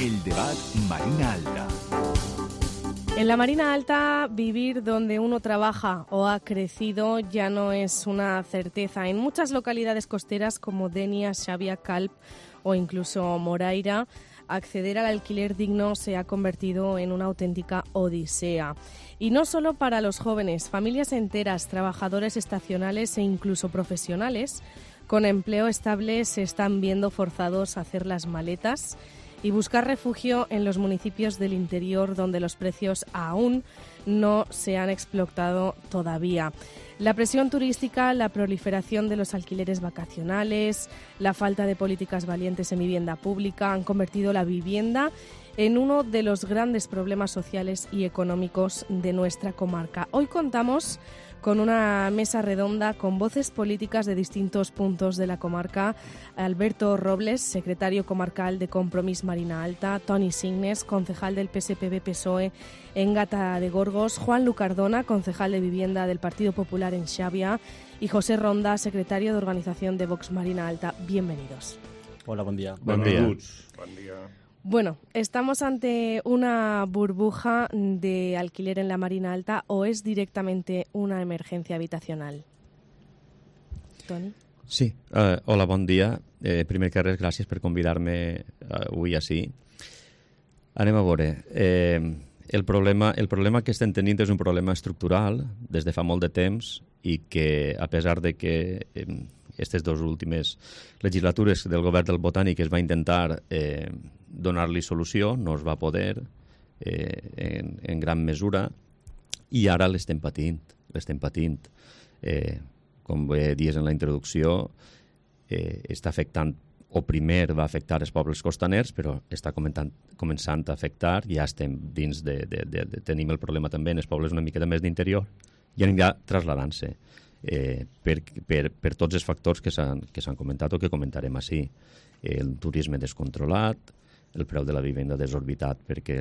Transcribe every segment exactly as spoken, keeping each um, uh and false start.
El Debat Marina Alta. En la Marina Alta, vivir donde uno trabaja o ha crecido ya no es una certeza. En muchas localidades costeras como Denia, Xàbia, Calp o incluso Moraira, acceder al alquiler digno se ha convertido en una auténtica odisea. Y no solo para los jóvenes, familias enteras, trabajadores estacionales e incluso profesionales con empleo estable se están viendo forzados a hacer las maletas y buscar refugio en los municipios del interior donde los precios aún no se han explotado todavía. La presión turística, la proliferación de los alquileres vacacionales, la falta de políticas valientes en vivienda pública han convertido la vivienda en uno de los grandes problemas sociales y económicos de nuestra comarca. Hoy contamos con una mesa redonda con voces políticas de distintos puntos de la comarca. Alberto Robles, secretario comarcal de Compromís Marina Alta, Toni Signes, concejal del P S P B-P S O E en Gata de Gorgos, Juan Lucardona, concejal de Vivienda del Partido Popular en Xàbia y José Ronda, secretario de Organización de Vox Marina Alta. Bienvenidos. Hola, buen día. Buen día. Buen día. Bueno, ¿estamos ante una burbuja de alquiler en la Marina Alta o es directamente una emergencia habitacional? Toni? Sí, uh, hola, bon dia. Eh, primer que res, gràcies per convidar-me uh, avui així. Anem a veure. Eh, el, problema, el problema que estem tenint és un problema estructural des de fa molt de temps i que, a pesar de que eh, aquestes dues últimes legislatures del govern del Botànic es va intentar eh, donar-li solució, no es va poder eh, en, en gran mesura i ara l'estem patint. L'estem patint. Eh, com bé dies en la introducció, eh, està afectant, o primer va afectar els pobles costaners, però està comentant, començant a afectar, ja estem dins de, de, de, de... Tenim el problema també en els pobles una miqueta més d'interior i anirà trasladant-se. Eh, per, per, per tots els factors que s'han que s'han comentat o que comentarem així. El turisme descontrolat, el preu de la vivenda desorbitat perquè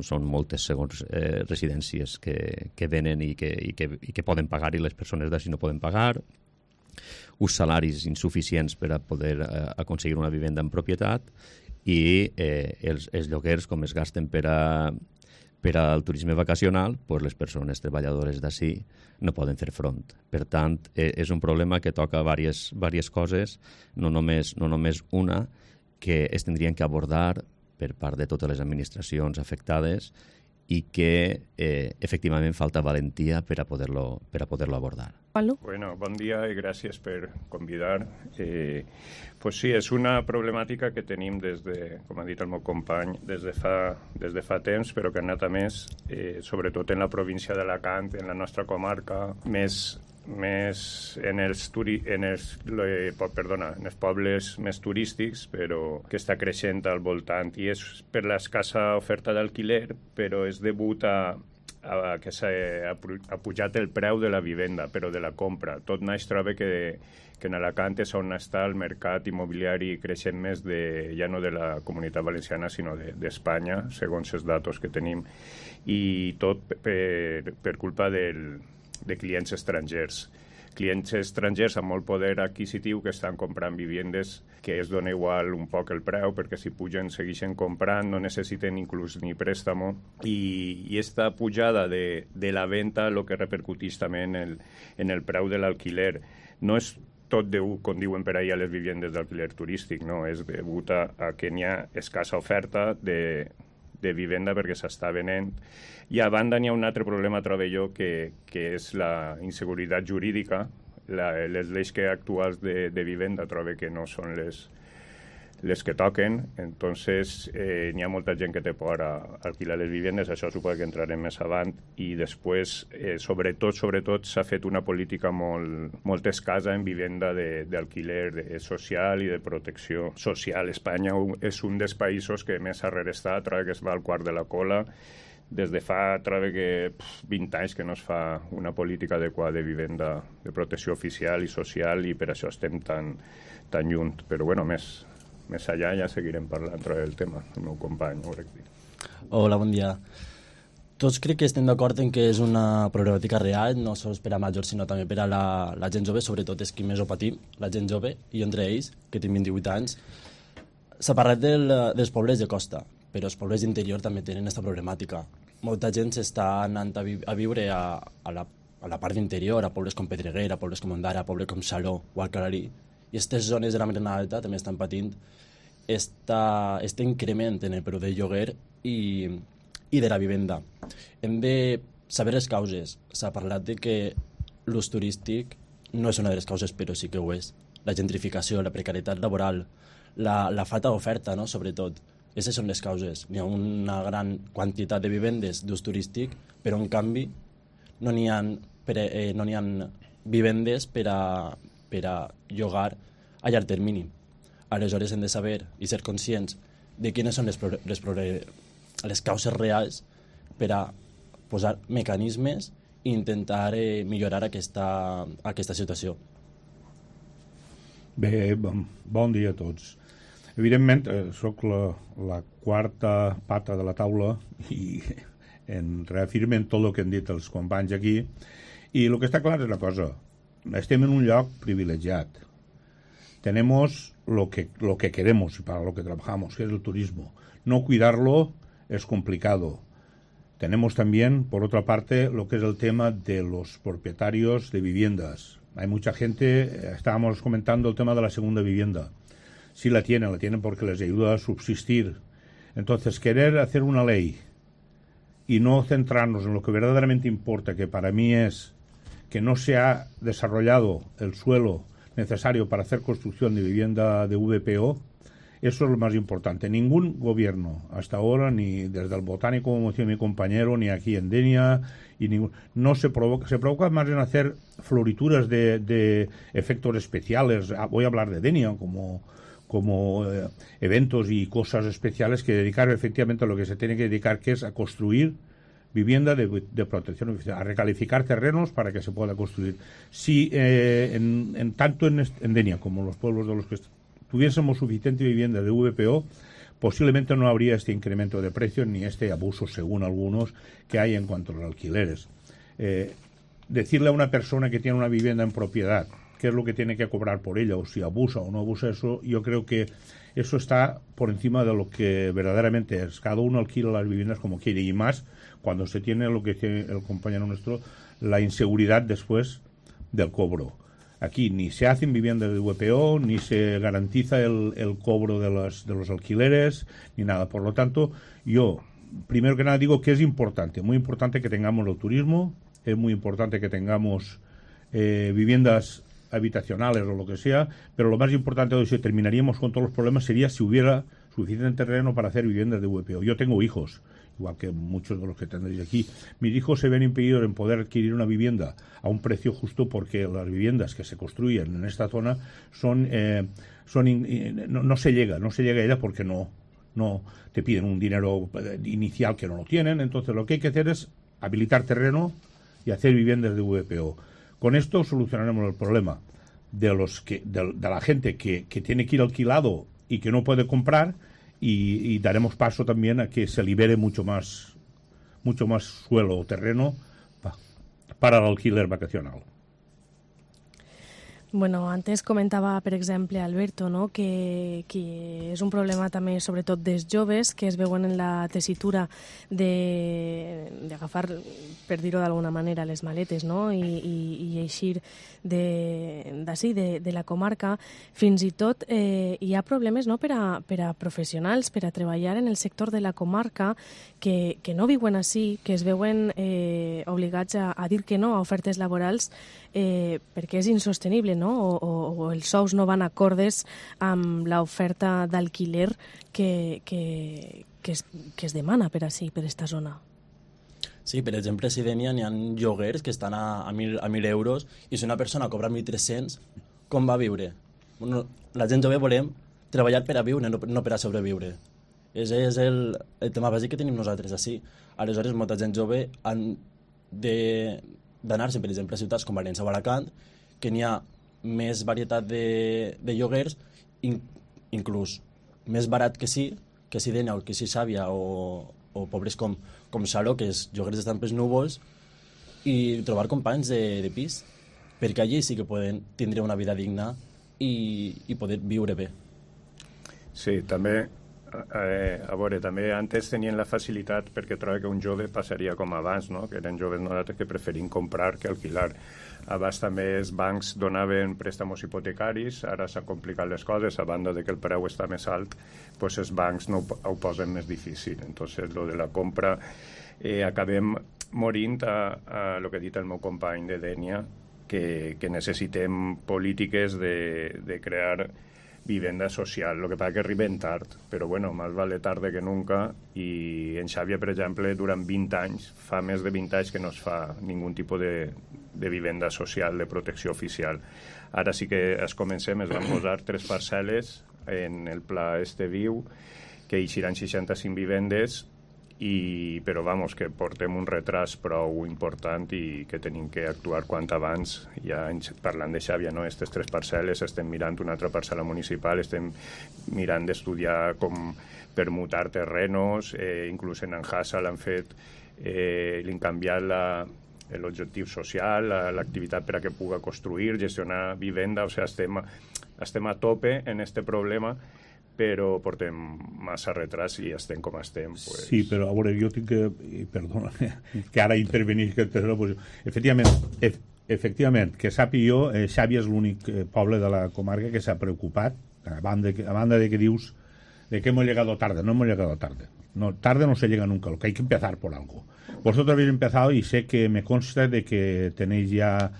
són moltes segons eh, residències que, que venen i que, i, que, i que poden pagar i les persones d'ací no poden pagar, uns salaris insuficients per a poder eh, aconseguir una vivenda en propietat i eh, els, els lloguers com es gasten per a per al turisme vacacional, pues les persones treballadores d'ací no poden fer front. Per tant, eh, és un problema que toca diverses, diverses coses, no només, no només una, que es tindrien que abordar per part de totes les administracions afectades i que eh, efectivament falta valentia per a poder-lo per a poder-lo abordar. Bueno, bon dia i gràcies per convidar. Eh, pues sí, és una problemàtica que tenim des de, com ha dit el meu company, des de fa, des de fa temps, però que ha anat a més, eh, sobretot en la província d'Alacant, en la nostra comarca, més, més en, els turi, en, els, eh, perdona, en els pobles més turístics, però que està creixent al voltant. I és per l'escassa oferta d'alquiler, però és degut a A, que s'ha pujat el preu de la vivenda, però de la compra. Tot naix troba que, que en Alacant és on està el mercat immobiliari creixent més de, ja no de la Comunitat Valenciana, sinó d'Espanya, de, segons els datos que tenim. I tot per, per culpa del, de clients estrangers. Clients estrangers amb molt poder adquisitiu que estan comprant vivendes que es dona igual un poc el preu perquè si pugen segueixen comprant, no necessiten inclús ni préstamo i, i esta pujada de, de la venda el que repercuteix també en el, en el preu de l'alquiler. No és tot deu, com diuen per ahir, a les vivendes d'alquiler turístic, no, és degut a, a que n'hi ha escassa oferta de de vivenda perquè s'està venent. I a banda n'hi ha un altre problema, trobo jo, que, que és la inseguretat jurídica. La, les lleis que actuals de, de vivenda trobo que no són les, les que toquen. Entonces, eh, n'hi ha molta gent que té por a alquilar les vivendes, això suposo que entrarem més avant. I després, eh, sobretot, sobretot, s'ha fet una política molt, molt escassa en vivenda d'alquiler de, de social i de protecció social. Espanya és un dels països que més arrere està, trobo que es va al quart de la cola. Des de fa, trobo que pff, vint anys que no es fa una política adequada de vivenda de protecció oficial i social i per això estem tan, tan lluny. Però, bueno, més... Més allà ja seguirem parlant del tema, el meu company. Hola, bon dia. Tots crec que estem d'acord en que és una problemàtica real, no sols per a majors, sinó també per a la, la gent jove, sobretot és qui més ho patim, la gent jove, i entre ells, que tinc vint-i-vuit anys, S'ha parlat del, dels pobles de costa, però els pobles d'interior també tenen aquesta problemàtica. Molta gent s'està anant a, vi a viure a, a, la, a la part d'interior, a pobles com Pedreguer, a pobles com Ondara, a pobles com Saló o Alcalalí, i aquestes zones de la Marina Alta també estan patint este increment en el preu del lloguer i, i de la vivenda. Hem de saber les causes. S'ha parlat de que l'ús turístic no és una de les causes, però sí que ho és. La gentrificació, la precarietat laboral, la, la falta d'oferta, no?, sobretot. Aquestes són les causes. Hi ha una gran quantitat de vivendes d'ús turístic, però en canvi no n'hi ha, eh, no n'hi ha vivendes per a, per a llogar a llarg termini. Aleshores hem de saber i ser conscients de quines són les, les, les causes reals per a posar mecanismes i intentar eh, millorar aquesta, aquesta situació. Bé, bon, bon dia a tots. Evidentment, eh, soc la, la quarta pata de la taula i en reafirmen tot el que han dit els companys aquí, i el que està clar és una cosa: estem en un lloc privilegiat. Tenemos lo que, lo que queremos y para lo que trabajamos, que es el turismo. No cuidarlo es complicado. Tenemos también, por otra parte, lo que es el tema de los propietarios de viviendas. Hay mucha gente, estábamos comentando el tema de la segunda vivienda. Sí la tienen, la tienen porque les ayuda a subsistir. Entonces, querer hacer una ley y no centrarnos en lo que verdaderamente importa, que para mí es que no se ha desarrollado el suelo necesario para hacer construcción de vivienda de V P O, eso es lo más importante. Ningún gobierno hasta ahora, ni desde el Botánico, como decía mi compañero, ni aquí en Denia, y ningún, no se provoca, se provoca más en hacer florituras de, de efectos especiales. Voy a hablar de Denia como, como eh, eventos y cosas especiales, que dedicar efectivamente a lo que se tiene que dedicar, que es a construir vivienda de, de protección oficial, a recalificar terrenos para que se pueda construir. Si eh, en, en tanto en, en Denia como los pueblos de los que tuviésemos suficiente vivienda de V P O, posiblemente no habría este incremento de precios ni este abuso, según algunos, que hay en cuanto a los alquileres. Eh, decirle a una persona que tiene una vivienda en propiedad qué es lo que tiene que cobrar por ella, o si abusa o no abusa, eso, yo creo que eso está por encima de lo que verdaderamente es. Cada uno alquila las viviendas como quiere, y más cuando se tiene lo que tiene el compañero nuestro, la inseguridad después del cobro. Aquí ni se hacen viviendas de V P O, ni se garantiza el, el cobro de, las, de los alquileres, ni nada. Por lo tanto, yo, primero que nada, digo que es importante, muy importante que tengamos el turismo, es muy importante que tengamos eh, viviendas habitacionales o lo que sea, pero lo más importante, hoy si terminaríamos con todos los problemas, sería si hubiera suficiente terreno para hacer viviendas de V P O. Yo tengo hijos, igual que muchos de los que tendréis aquí. Mis hijos se ven impedidos en poder adquirir una vivienda a un precio justo porque las viviendas que se construyen en esta zona son, eh, son in, in, no, no se llega, no se llega a ella porque no, no te piden un dinero inicial que no lo tienen. Entonces lo que hay que hacer es habilitar terreno y hacer viviendas de V P O. Con esto solucionaremos el problema de los que de, de la gente que, que tiene que ir alquilado y que no puede comprar, y, y daremos paso también a que se libere mucho más mucho más suelo o terreno pa, para el alquiler vacacional. Bueno, antes comentava, per exemple, Alberto, no?, que, que és un problema també, sobretot, dels joves, que es veuen en la tessitura d'agafar, per dir-ho d'alguna manera, les maletes, no?, i, i, i eixir d'ací, de, de, de la comarca. Fins i tot eh, hi ha problemes, no?, per a, per a professionals, per a treballar en el sector de la comarca, que, que no viuen ací, que es veuen eh, obligats a, a dir que no a ofertes laborals eh, perquè és insostenible, no?, O, o, o els sous no van acordes amb l'oferta d'alquiler que, que, que, es, que es demana per ací, per esta zona. Sí, per exemple, si Denia n'hi ha lloguers que estan a, a, mil, a mil euros, i si una persona cobra mil tres-cents, com va viure? Bueno, la gent jove volem treballar per a viure, no, no per a sobreviure. És, és el, el tema bàsic que tenim nosaltres ací. Aleshores, molta gent jove han d'anar-se, per exemple, a ciutats com València o Alacant, que n'hi ha més varietat de, de lloguers, in, inclús més barat que sí, que si Denia o que si Xàbia o, o pobles com, com Saló, que és lloguers estan pels núvols, i trobar companys de, de pis, perquè allí sí que poden tindre una vida digna i, i poder viure bé. Sí, també, eh, a veure, també antes tenien la facilitat perquè trobo que un jove passaria com abans, no? Que eren joves nosaltres que preferim comprar que alquilar. Abans també els bancs donaven préstamos hipotecaris, ara s'han complicat les coses, a banda de que el preu està més alt, doncs els bancs no ho, ho posen més difícil. Entonces, lo de la compra, eh, acabem morint a, a lo que ha dit el meu company de Dènia, que, que necessitem polítiques de, de crear vivenda social. Lo que passa que arriben tard, però bueno, más vale tarde que nunca, i en Xàbia, per exemple, durant vint anys, fa més de vint anys que no es fa ningú tipus de, de vivenda social, de protecció oficial. Ara sí que es comencem, es van posar tres parcel·les en el pla este viu, que hi seran seixanta-cinc vivendes, i, però vamos, que portem un retras prou important i que tenim que actuar quant abans. Ja parlant de Xàbia, no? Aquestes tres parcel·les, estem mirant una altra parcel·la municipal, estem mirant d'estudiar com permutar terrenos, eh, inclús en Anjasa l'han fet, eh, l'han canviat la, l'objectiu social, l'activitat per a que puga construir, gestionar vivenda, o sigui, estem, estem a tope en este problema, però portem massa retras i estem com estem. Pues... Sí, però a veure, jo tinc que... Perdona, que ara intervenir... Que, pues, efectivament, ef, efectivament, que sàpiga jo, eh, Xàbia és l'únic eh, poble de la comarca que s'ha preocupat, a banda, a banda de que dius de que hemos llegado tarde. No hemos llegado tarde. No, tarde no se llega nunca, lo que hay que empezar por algo. Vosotros habéis empezado y sé que me consta de que tenéis ya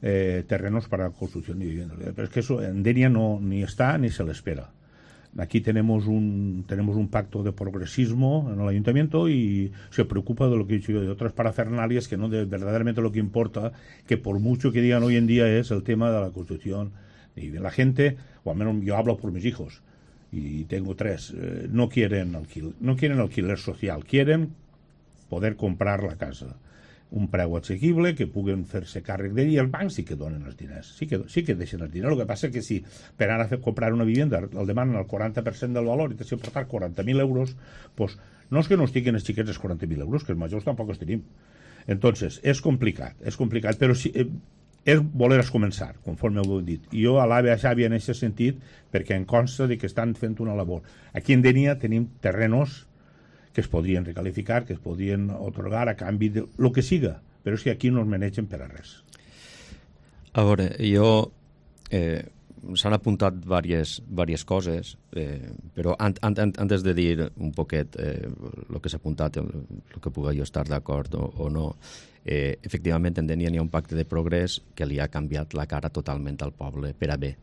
eh, terrenos para construcción de viviendas. Pero es que eso en Denia no, ni está ni se le espera. Aquí tenemos un tenemos un pacto de progresismo en el ayuntamiento y se preocupa de lo que he dicho yo, de otras parafernalias que no de, verdaderamente lo que importa, que por mucho que digan hoy en día es el tema de la construcción. Y la gente, o al menos yo hablo por mis hijos, y tengo tres, eh, no quieren alquiler, no quieren alquiler social, quieren poder comprar la casa. Un preu assequible, que puguen fer-se càrrec d'ell, i el banc sí que donen els diners, sí que, sí que deixen els diners. El que passa és que si per anar a fer, comprar una vivenda el demanen el quaranta per cent del valor i t'has de portar quaranta mil euros, pues, no és que no estiguin els xiquets els quaranta mil euros, que els majors tampoc els tenim. Entonces, és complicat, és complicat, però si, eh, és voler començar, conforme ho heu dit. I jo alabo a Xàbia en aquest sentit, perquè em consta de que estan fent una labor. Aquí en Denia tenim terrenos que es podrien recalificar, que es podrien otorgar a canvi de lo que siga, però és que aquí no es manegen per a res. A veure, jo... Eh, s'han apuntat diverses, diverses coses, eh, però an, an, an, antes de dir un poquet el eh, que s'ha apuntat, el, el que pugui jo estar d'acord o, o no, eh, efectivament en Denia n'hi ha un pacte de progrés que li ha canviat la cara totalment al poble per a bé.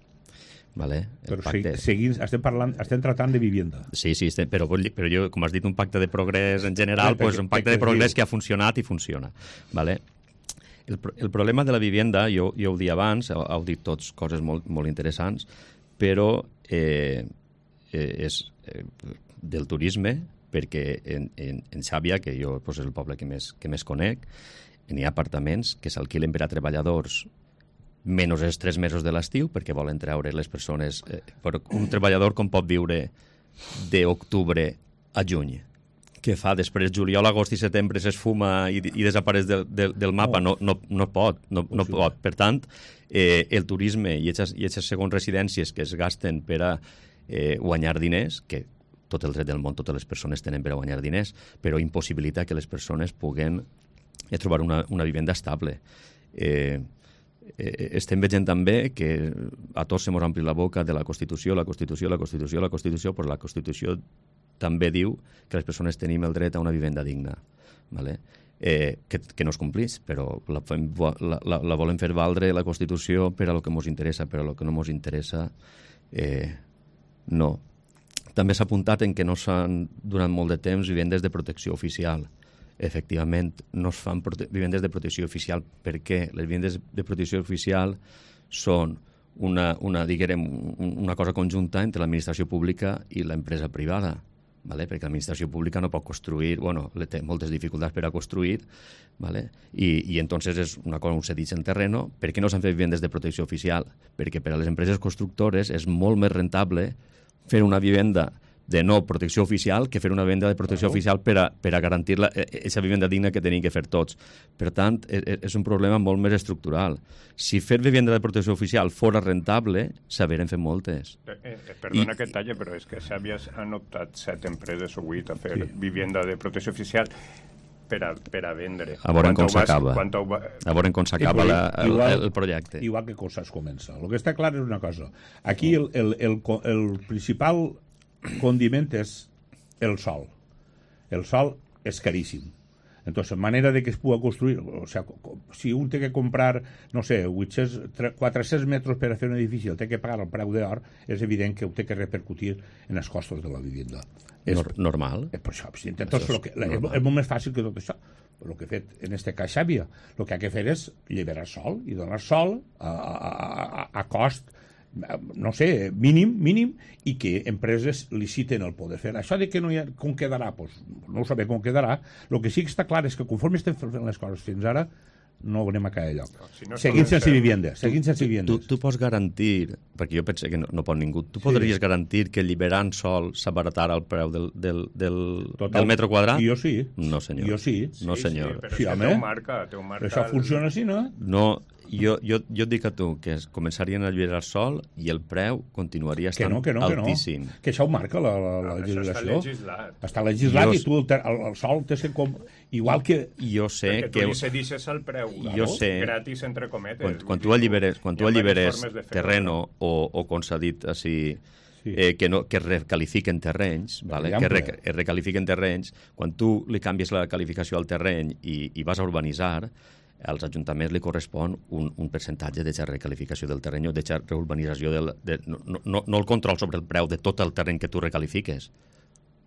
Vale? Però pacte... seguint, estem, parlant, estem tratant de vivienda. Sí, sí, estem, però, però jo, com has dit, un pacte de progrés en general, pues, un pacte de progrés que ha funcionat i funciona. Vale? El, el problema de la vivienda, jo, jo ho dia abans, heu dit tots coses molt, molt interessants, però eh, és eh, del turisme, perquè en, en, en Xàbia, que jo pues, és el poble que més, que més conec, n'hi ha apartaments que s'alquilen per a treballadors menys els tres mesos de l'estiu, perquè volen treure les persones... Eh, però un treballador com pot viure d'octubre a juny? Què fa? Després juliol, agost i setembre s'esfuma i, i desapareix del, del, del mapa? No, no, no pot, no, no pot. Per tant, eh, el turisme i aquestes segons residències que es gasten per a eh, guanyar diners, que tot el dret del món, totes les persones tenen per a guanyar diners, però impossibilita que les persones puguen eh, trobar una, una vivenda estable. Eh, Eh, estem veient també que a tots se mos ompli la boca de la Constitució, la Constitució, la Constitució, la Constitució, però la Constitució també diu que les persones tenim el dret a una vivenda digna, ¿vale? eh, que, que no es complís, però la, la, la, la volem fer valdre la Constitució per a lo que ens interessa, però a lo que no ens interessa eh, no. També s'ha apuntat en que no s'han durant molt de temps vivendes de protecció oficial. Efectivament, no es fan vivendes de protecció oficial perquè les vivendes de protecció oficial són una, una, diguem, una cosa conjunta entre l'administració pública i l'empresa privada, ¿vale? Perquè l'administració pública no pot construir, bueno, té moltes dificultats per a construir, ¿vale? I, i entonces és una cosa, un cedits en terreno. Per què no s'han fet vivendes de protecció oficial? Perquè per a les empreses constructores és molt més rentable fer una vivenda de no protecció oficial que fer una venda de protecció Claro. oficial per a, per a garantir aquesta vivenda digna que tenim que fer tots. Per tant, és, és un problema molt més estructural. Si fer vivenda de protecció oficial fora rentable, s'haurien fet moltes. Eh, eh, perdona I- que et talle, però és que s'havies han optat set empreses o vuit a fer Sí. vivenda de protecció oficial per a, per a vendre. A veure Quan com ho vas- s'acaba. quan ho va- A veure com s'acaba Igual- la- el, igual- el projecte. Igual que coses comença. El que està clar és una cosa. Aquí el, el, el, co- el principal condiment és el sol. El sol és caríssim. Entonces, manera de que es puga construir, o sea, co- co- si un té que comprar, no sé, vuit-cents, tre- quatre-cents metres per a fer un edifici, el té que pagar el preu d'or, és evident que ho té que repercutir en els costos de la vivenda. És, Nor normal. és per això. Entonces, Això és lo que, la, és, normal. és molt més fàcil que tot això. El que ha fet en este cas Xàbia, el que ha de fer és alliberar sol i donar sol a, a, a, a cost, no sé, mínim, mínim, i que empreses liciten el poder fer. Això de que no hi ha, com quedarà, pues, no ho sabem com quedarà. El que sí que està clar és que conforme estem fent les coses fins ara, no anem a caer lloc. si no seguint sense comencem- vivienda, seguint sense Tu, viviendes. tu pots garantir, perquè jo penso que no, no pot ningú, tu podries garantir que alliberant sol s'abaratara el preu del, del, del, Total. del metro quadrat? Jo sí. No, senyor. Jo sí. No, Sí, senyor. Sí, però Sí, és que home. té un marca, té un marca Això el- funciona així, no? No, jo, jo, jo et dic a tu que es començarien a alliberar sol i el preu continuaria Que estant no, que no, que no. altíssim. Que això ho marca la, la, la Ah, això està legislació. legislat. Està legislat Jo- i tu el, ter- el, el sol tens que... Com... Igual que... Jo sé Perquè tu que... li cedixes el preu Jo sé. gratis, entre cometes. Quan, Vull quan dir, tu alliberes, quan hi tu ha diverses alliberes formes de fer-ho, terreno no? o, o com s'ha dit així, Sí. eh, que, no, que recalifiquen terrenys, vale? que exemple. re, es recalifiquen terrenys, quan tu li canvies la qualificació al terreny i, i vas a urbanitzar, als ajuntaments li correspon un, un percentatge d'aquesta recalificació del terreny o d'aquesta reurbanització, del, de, no, no, no el control sobre el preu de tot el terreny que tu recalifiques.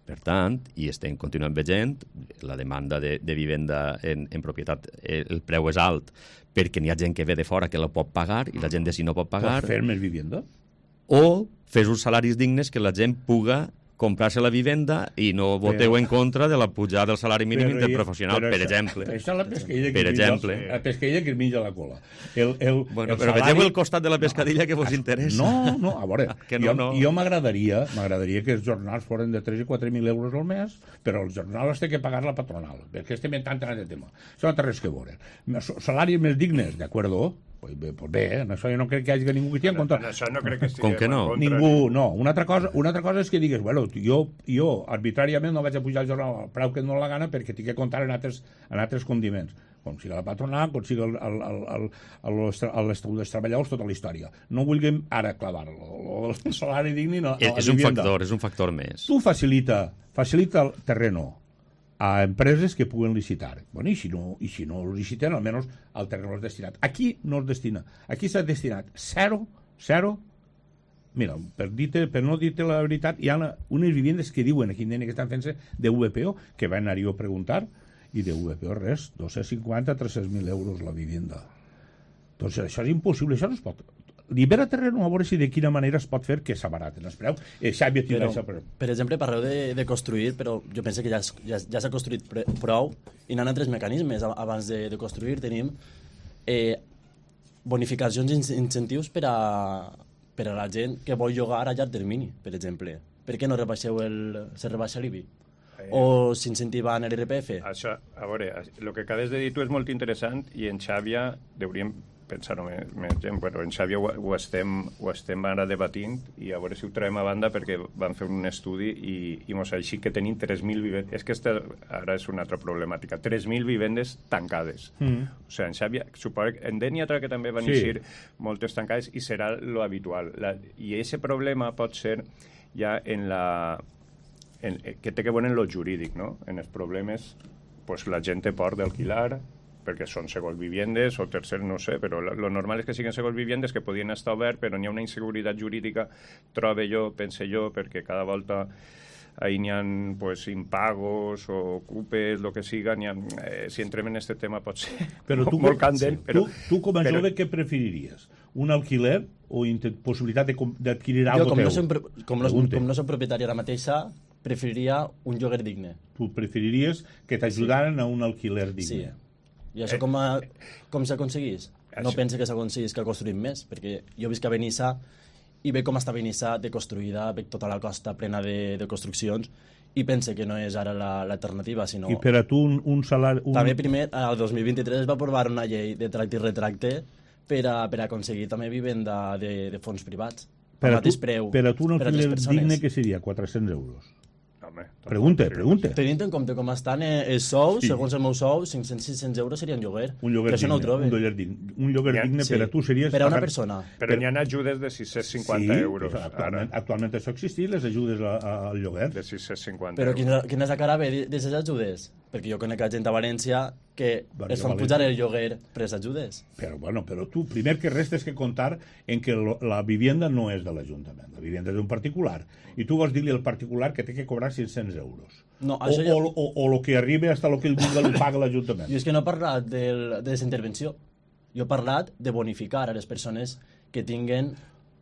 Per tant, i estem continuant veient, la demanda de, de vivenda en, en propietat, eh, el preu és alt perquè n'hi ha gent que ve de fora que la pot pagar i la gent de si no pot pagar, Pots fer més vivienda? o fes uns salaris dignes que la gent puga comprar-se la vivenda i no voteu Però- en contra de la pujada del salari mínim Però- interprofessional, però per això- exemple. Això és la pesquilla que Per es menja- exemple. La pesquilla que es menja la cola. El, el, Bueno, el però salari- vegeu el costat de la pescadilla que vos interessa. No, no, a veure, Que no, jo, no. jo m'agradaria m'agradaria que els jornals foren de tres i quatre mil euros al mes, però els jornals té que pagar la patronal, perquè estem en tant en aquest tema. Això no té res que veure. Salaris més dignes, d'acord? Pues bé, pues bé, en això jo no crec que hi hagi ningú que estigui en contra. En això no crec que Com estiguem que no? en contra. Ningú, no. Una altra cosa, una altra cosa és que digues, bueno, jo, jo arbitràriament no vaig a pujar el jornal al preu que em dóna la gana perquè tinc que comptar en altres, en altres condiments. Com siga la patronal, com siga el, el, el, el, el, el, l'estatut dels treballadors, tota la història. No vulguem ara clavar el, el salari digne a la És, és un vivienda. factor, és un factor més. Tu facilita, facilita el terreno a empreses que puguen licitar. Bueno, i si no, i si no ho liciten, almenys el terreno és destinat. Aquí no es destina. Aquí s'ha destinat zero, zero. Mira, per, dir-te, per no dir-te la veritat, hi ha una, unes viviendes que diuen aquí que estan fent-se de V P O, que van anar-hi a preguntar, i de V P O res, dos-cents cinquanta a tres-cents mil euros la vivienda. Doncs això és impossible, això no es pot. Libera terreno a veure si de quina manera es pot fer que s'abaraten els preus. Eh, Xavi, tindrà Però, això, però... per exemple, parleu de, de construir, però jo penso que ja, es- ja, ja s'ha construït pre- prou i n'hi ha altres mecanismes. A- Abans de, de construir tenim eh, bonificacions i in- incentius per a, per a la gent que vol llogar a llarg termini, per exemple. Per què no rebaixeu el, se rebaixa l'I B I? O s'incentiva en l'I R P F? Això, a veure, el que acabes de dir tu és molt interessant i en Xàbia hauríem pensar-ho més, més gent, però en Xàbia ho, ho, estem, ho estem ara debatint i a veure si ho traiem a banda perquè van fer un estudi i, i mos així que tenim tres mil vivendes. És que esta, ara és una altra problemàtica. tres mil vivendes tancades. Mm. O sigui, en Xàbia, suposo que en Dènia que també van Sí. eixir moltes tancades i serà lo habitual. La, I aquest problema pot ser ja en la... En, que té que veure en lo jurídic, no? En els problemes, pues, la gent té por d'alquilar, perquè són segons viviendes o tercer, no sé, però lo normal és que siguin segons viviendes que podien estar obert, però n'hi ha una inseguretat jurídica, trobe jo, pense jo, perquè cada volta ahí n'hi ha pues, impagos o ocupes, el que siga, ha, eh, si entrem en aquest tema pot ser Però tu, molt candent. sí. Però, tu, tu com a però, jove què preferiries? Un alquiler o intent, possibilitat de com- d'adquirir Jo, algo com teu? no, som, pro- com, no, Pregunte. com no som propietari ara mateixa, preferiria un lloguer digne. Tu preferiries que t'ajudaren a un alquiler Sí. digne. I això com, a, com s'aconseguís? No Això- pense que s'aconseguís que construïm més, perquè jo visc a Benissa i ve com està Benissa de construïda, ve tota la costa plena de, de construccions, i pense que no és ara l'alternativa, sinó... I per a tu un, un salari... Un... També primer, el dos mil vint-i-tres es va aprovar una llei de tracte i retracte per a, per a aconseguir també vivenda de, de fons privats. Per a, tu, preu, per a tu un per alquiler digne que seria quatre-cents euros. Home, pregunta, pregunta. Tenint en compte com estan els sous, Sí. segons el meu sou, cinc-cents a sis-cents euros seria un lloguer. Un lloguer que això no ho digne, trobe. un lloguer digne, un lloguer Ja, digne sí. per a tu seria... Per a una persona. Però n'hi ha ajudes de sis-cents cinquanta sí, euros. Actualment, Ara, actualment això existeix, les ajudes a, a, al lloguer. de sis-cents cinquanta Però euros. quina, quina és la cara bé d'aquestes ajudes? Perquè jo conec gent a València que Bueno, es fan València. pujar el lloguer per les ajudes. Però, bueno, però tu, primer que res, tens que comptar en que lo, la vivienda no és de l'Ajuntament, la vivienda és d'un particular. I tu vols dir-li al particular que té que cobrar cinc-cents euros. No, o, això o, ja- o, o lo que arriba hasta lo que el vulga li paga l'Ajuntament. Jo és que no he parlat del, de aquesta intervenció. Jo he parlat de bonificar a les persones que tinguen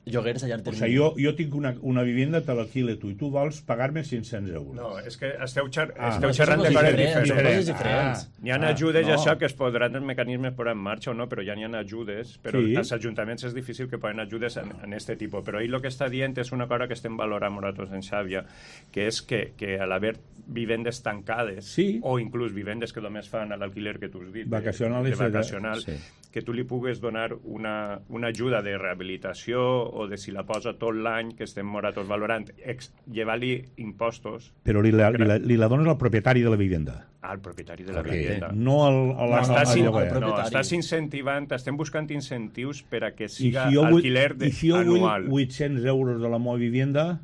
lloguers a llarg O termini. sigui, jo, jo tinc una, una vivienda, te l'alquile tu, i tu vols pagar-me cinc-cents euros. No, és que esteu, xer Ah, esteu no, xerrant són de coses coses diferents, són diferents. coses diferents. Hi ha Ah, ajudes, no. això, que es podran els mecanismes posar en marxa o no, però ja n'hi ha ajudes, però Sí. als ajuntaments és difícil que poden ajudes en, en este tipus. Però ell el que està dient és una cosa que estem valorant nosaltres en Xàbia, que és que, que a l'haver vivendes tancades, Sí. o inclús vivendes que només fan a l'alquiler que tu has dit, de- Vacacional de, i de vacacional, sí. que tu li pugues donar una, una ajuda de rehabilitació o de si la posa tot l'any, que estem nosaltres valorant, ex, llevar-li impostos Però li la, li, la, li la dones al propietari de la vivienda. al propietari de la Okay. vivienda. No al, a la, Estàs, al in, lloguer. al no, propietari. estàs incentivant, estem buscant incentius per a que I siga si jo vull, alquiler de, i si jo anual. vull vuit-cents euros de la meva vivienda,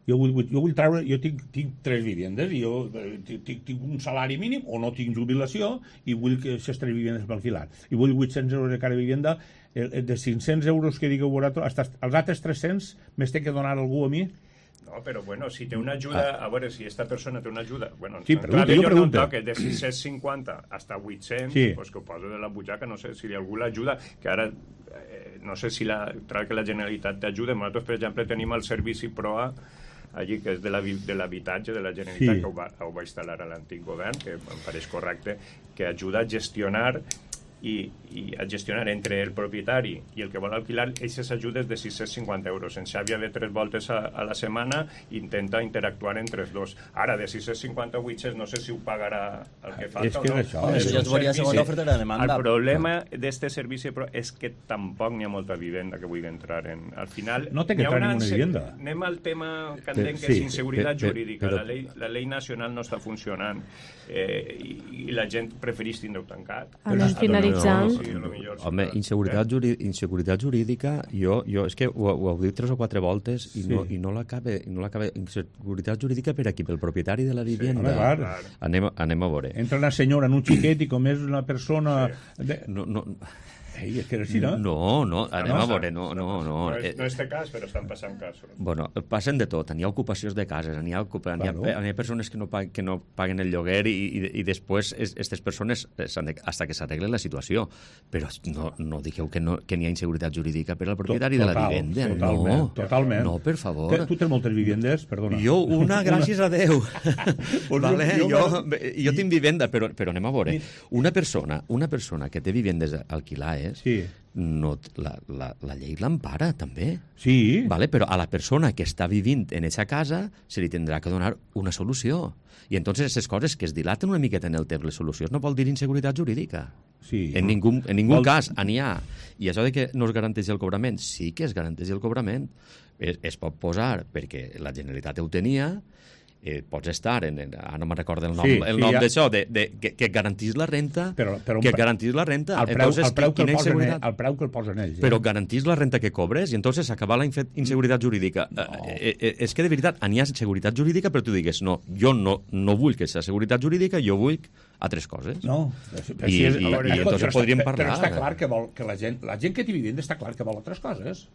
jo vull, vull- jo vull treure, jo tinc, tinc tres vivendes, i jo eh, tinc, tinc, tinc un salari mínim o no tinc jubilació i vull que aquestes tres vivendes per alquilar. I vull vuit-cents euros de cada vivienda, el, el de cinc-cents euros que digueu vosaltres, hasta els altres tres-cents me'ls té que donar algú a mi? No, però bueno, si té una ajuda, a veure, si esta persona té una ajuda, bueno, Sí, en pregunta, clave jo no pregunto. toque de sis-cents cinquanta hasta vuit-cents, Sí. pues que ho posa de la butxaca, no sé si algú l'ajuda, que ara eh, no sé si la, tra que la Generalitat t'ajuda. Nosaltres, per exemple, tenim el servici PROA allí, que és de la vi- de l'habitatge de la Generalitat, Sí. que ho va, ho va instal·lar a l'antic govern, que em pareix correcte, que ajuda a gestionar i, i a gestionar entre el propietari i el que vol alquilar aquestes ajudes de sis-cents cinquanta euros. En Xàbia ve tres voltes a, a la setmana i intenta interactuar entre els dos. Ara, de sis-cents cinquanta a vuit-cents, no sé si ho pagarà el que falta És o que no. és això, Home, és això ja un es veuria servici- segons l'oferta i la demanda. El problema d'este servici però és que tampoc n'hi ha molta vivenda que vulgui entrar en... Al final... No té que n'hi ha entrar una ninguna inse- vivienda. Anem al tema que Però- entenc que sí, és inseguretat però- jurídica. però- La llei, la llei nacional no està funcionant eh, i, i la gent prefereix tindre-ho tancat. Anem finalitzant. Sí, a lo millor sí Home, que- inseguretat, juri, inseguretat jurídica, jo, jo és que ho, ho heu dit tres o quatre voltes i Sí. no, i no l'acabe, no l'acabe. Inseguretat jurídica per aquí, pel propietari de la vivienda. home, clar. clar. Anem, a- anem a veure. Entra una senyora en un xiquet i com és una persona... Sí. De... No, no, Ei, és que és així, no? no, no, anem no, a veure, no, no, no. No, és, Eh, no és de cas, però estan passant casos. Bueno, passen de tot. N'hi ha ocupacions de cases, n'hi ha, ocupa, n'hi ha, Claro. n'hi ha persones que no, paguen, que no paguen el lloguer i, i, i després aquestes persones eh, s'han de, hasta que s'arregle la situació. Però no, no digueu que, no, que n'hi ha inseguretat jurídica per al propietari de la Total, vivenda. Totalment, no, totalment. no, per favor. Te- Tu tens moltes vivendes, perdona. Jo una, gràcies a Déu. Pues vale? jo- jo, jo jo, jo tinc vivenda, però, però anem a veure. Una persona, una persona que té vivendes alquilades, Sí. no, t- la, la, la llei l'empara, també. Sí. Vale? Però a la persona que està vivint en aquesta casa se li tindrà que donar una solució. I entonces aquestes coses que es dilaten una miqueta en el temps, les solucions, no vol dir inseguretat jurídica. Sí. En ningú, en ningú Vol- cas n'hi ha. I això de que no es garanteix el cobrament, sí que es garanteix el cobrament. Es, es pot posar perquè la Generalitat ho tenia, eh, pots estar, en, en, ara no me'n recordo el nom, Sí, el sí, nom ja. d'això, de, de, que, que garantís la renta, Però- però un que pre- garantís la renta. El preu, Entonces, el preu que el quina posen, inseguretat? el preu que el posen ells. eh? Però garantís la renta que cobres i entonces acabar la infe- inseguretat jurídica. No. Eh, eh, és que de veritat n'hi ha seguretat jurídica, però tu digues, no, jo no, no vull que sigui seguretat jurídica, jo vull altres coses. No, I- i- i entonces però podríem està, parlar. Però està clar que vol que la gent, la gent que té vivenda està clar que vol altres coses.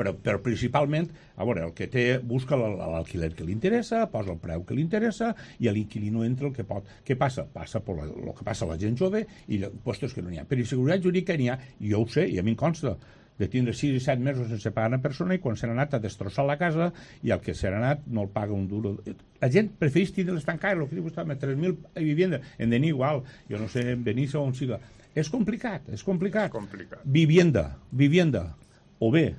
Però, però principalment, a veure, el que té, busca l'al- l'alquiler que li interessa, posa el preu que li interessa i a l'inquilino entra el que pot. Què passa? Passa per la, el que passa a la gent jove i de puestos que no n'hi ha. Per inseguretat jurídica n'hi ha, i jo ho sé, i a mi em consta, de tindre sis i set mesos sense pagar una persona i quan se n'ha anat a destrossar la casa i el que se n'ha anat no el paga un duro. La gent prefereix tindre-les tancades, el que diu vostè, amb tres mil vivendes, en Denis igual, jo no sé, en Benissa o on siga. És complicat, és complicat. Complicat. Vivienda, vivienda, o bé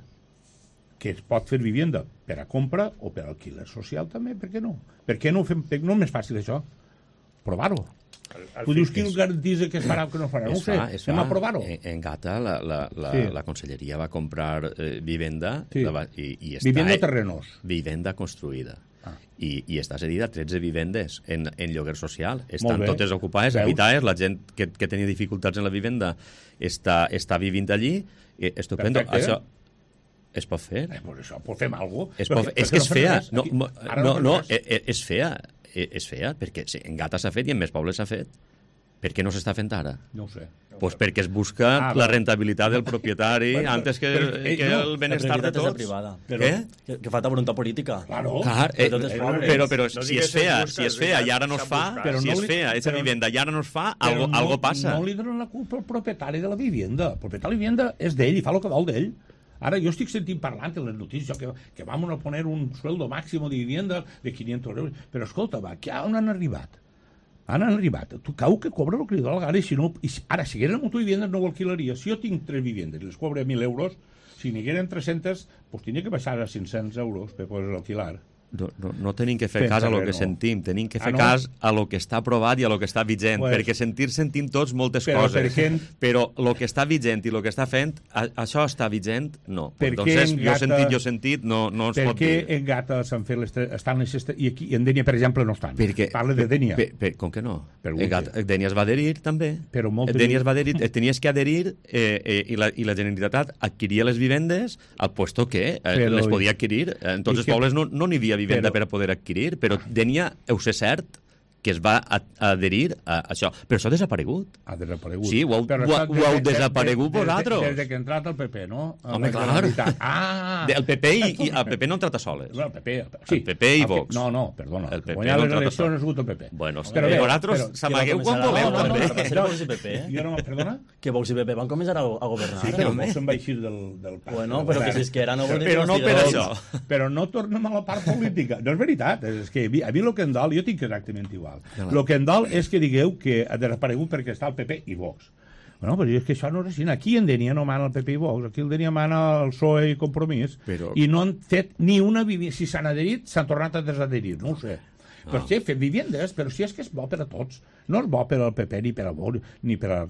que es pot fer vivenda per a compra o per a alquiler social també, per què no? Per què no ho fem? No és més fàcil això? Provar-ho. Tu dius qui el garantís que es farà o que no farà? No ho sé, anem a provar-ho. En, en Gata la, la, la, sí. la conselleria va comprar eh, vivenda sí. la va, i, i està, vivenda terrenos. Vivenda construïda. Ah. I, i està cedida a tretze vivendes en, en lloguer social. Estan totes ocupades, habitades, la gent que, que tenia dificultats en la vivenda està, està vivint allí. Eh, estupendo. Perfecte. Això es pot fer. Eh, pues això, pot fem alguna cosa. Es pot fer. És que és fea. No, no, no, no és fea. És fea, perquè sí, en Gata s'ha fet i en més pobles s'ha fet. Per què no s'està fent ara? No ho sé. Pues perquè es busca ah, la rentabilitat del propietari bueno, antes que, però, eh, que no, el benestar de tots. Privada, però, que, que falta voluntat política. Claro. Clar, eh, eh, però, però no si és fea, si és fea i ara no es fa, però si no és fea, aquesta vivenda i ara no es fa, algo, no, algo passa. No li donen la culpa al propietari de la vivenda. El propietari de la vivenda és d'ell i fa el que vol d'ell. Ara jo estic sentint parlant en les notícies que, que vam a poner un sueldo máximo de vivienda de quinientos euros. Però escolta, va, que on han arribat? Han arribat. Tu cau que cobra el que li dóna la gana i si no... I ara, si hagueren mutu viviendes no ho alquilaria. Si jo tinc tres viviendes i les cobre mil euros, si n'hi hagueren tres-cents, pues tindria que baixar a cinc-cents euros per poder alquilar. No, no, no tenim que fer Fem cas a lo res, que no. sentim, tenim que fer Ah, no? cas a lo que està aprovat i a lo que està vigent, Pues- perquè sentir sentim tots moltes Però coses, per què- però lo que està vigent i lo que està fent, a, això està vigent? No. Per Pues, què entonces, en jo Gata- sentit, jo sentit, no, no es Per pot què dir. en Gata s'han fet les tres... Estan les estes, i aquí en Dènia, per exemple, no estan. Perquè, Parla de Dènia. Per, per, com que no? Per En Gata, Dènia es va adherir, també. Però moltes- Dènia es va adherir, eh, tenies que adherir eh, eh, i, la, i la Generalitat adquiria les vivendes al puesto que eh, Però- les podia adquirir. En tots i els que- pobles no no n'hi havia vivenda però- per a poder adquirir, però Dènia, heu sé cert, que es va a, a adherir a això. Però això ha desaparegut. Ha desaparegut. Sí, ho heu- Però ho- està ho heu des de- desaparegut des de- vosaltres. Des de que ha entrat el P P, no? A Home, la clar. Generalitat. Ah! El P P i, i el P P no han tratat soles. Bueno, el P P, sí. El P P i El P- Vox. No, no, perdona. El P P Guanyar no les trata eleccions sol. ha sigut el P P. Bueno, Però bé, vosaltres però- s'amagueu que quan va voleu, començar a- també. no, no, no, Vox i P P, eh? Jo no, perdona? Que Vox i P P van començar a, a governar. Sí, però Vox se'n va eixir del, del pacte. Bueno, però que si és que era no volen Però no per això. Però no tornem a la part política. No és veritat. És que a mi, a mi el que em dol, jo tinc exactament igual. El que em dol és que digueu que ha desaparegut perquè està el P P i Vox. Bueno, però és que això no és així. Aquí en Dènia no mana el P P i Vox. Aquí en Dènia mana el P S O E i Compromís. Però- I no han fet ni una vivenda. Si s'han adherit, s'han tornat a desadherir. No ho sé. Però Ah. sí, fem vivendes, però si és que és bo per a tots. No és bo per al P P ni per a Vox, ni per al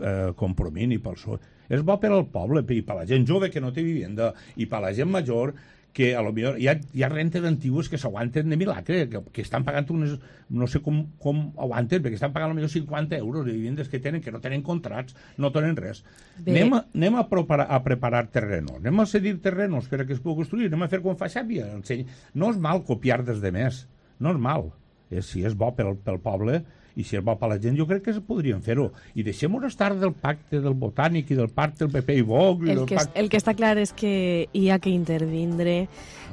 eh, Compromís, ni pel P S O E. És bo per al poble, i per la gent jove que no té vivenda, i per la gent major que a lo millor hi ha, hi ha rentes antigues que s'aguanten de milagre, que, que estan pagant unes... No sé com, com aguanten, perquè estan pagant potser cinquanta euros de vivendes que tenen, que no tenen contrats, no tenen res. Bé. Anem, a, anem a, preparar, a preparar terrenos, anem a cedir terrenos per a que es pugui construir, anem a fer com fa Xàbia. Enseny. No és mal copiar des de més, no és mal. És, si és bo pel, pel poble i si és bo per la gent, jo crec que podríem fer-ho. I deixem-ho estar del pacte del Botànic i del pacte del P P i Vox. I El del que, pacte... el que està clar és que hi ha que intervindre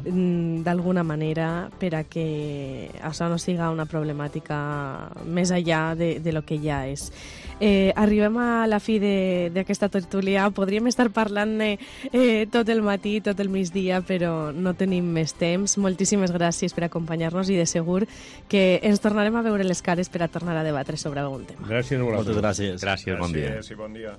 mm, d'alguna manera per a que això no siga una problemàtica més enllà de, de lo que ja és. Eh, arribem a la fi d'aquesta tertúlia. Podríem estar parlant-ne eh, tot el matí, tot el migdia, però no tenim més temps. Moltíssimes gràcies per acompanyar-nos i de segur que ens tornarem a veure les cares per a tornar a debatre sobre algun tema. Gràcies a vosaltres. Moltes gràcies. Gràcies, bon dia. Gràcies i bon dia.